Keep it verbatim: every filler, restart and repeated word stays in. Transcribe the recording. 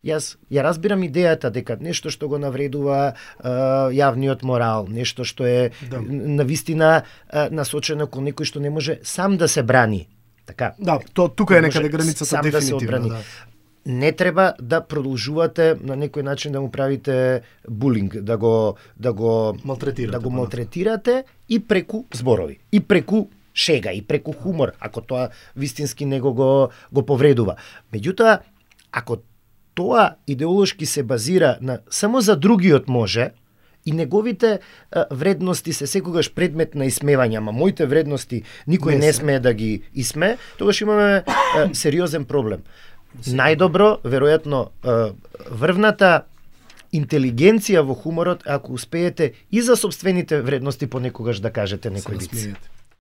Јас ја разбирам идејата дека нешто што го навредува е, јавниот морал, нешто што е Да. на вистина е, насочено кон некој што не може сам да се брани. Така. Да, то тука е Не некаде може границата сам да се дефинитивно, одбрани. да. Не треба да продолжувате на некој начин да му правите булинг, да го да го Малтретирате. да го понатаму. малтретирате и преку зборови, и преку шега, и преку хумор, ако тоа вистински него го го повредува. Меѓутоа, ако тоа идеолошки се базира на само за другиот може и неговите а, вредности се секогаш предмет на исмевање, ама моите вредности никој Не не, се. смее да ги исме, тогаш имаме а, сериозен проблем. Најдобро, веројатно, а, врвната интелигенција во хуморот, ако успеете и за собствените вредности понекогаш да кажете Се некој виц. насмеете.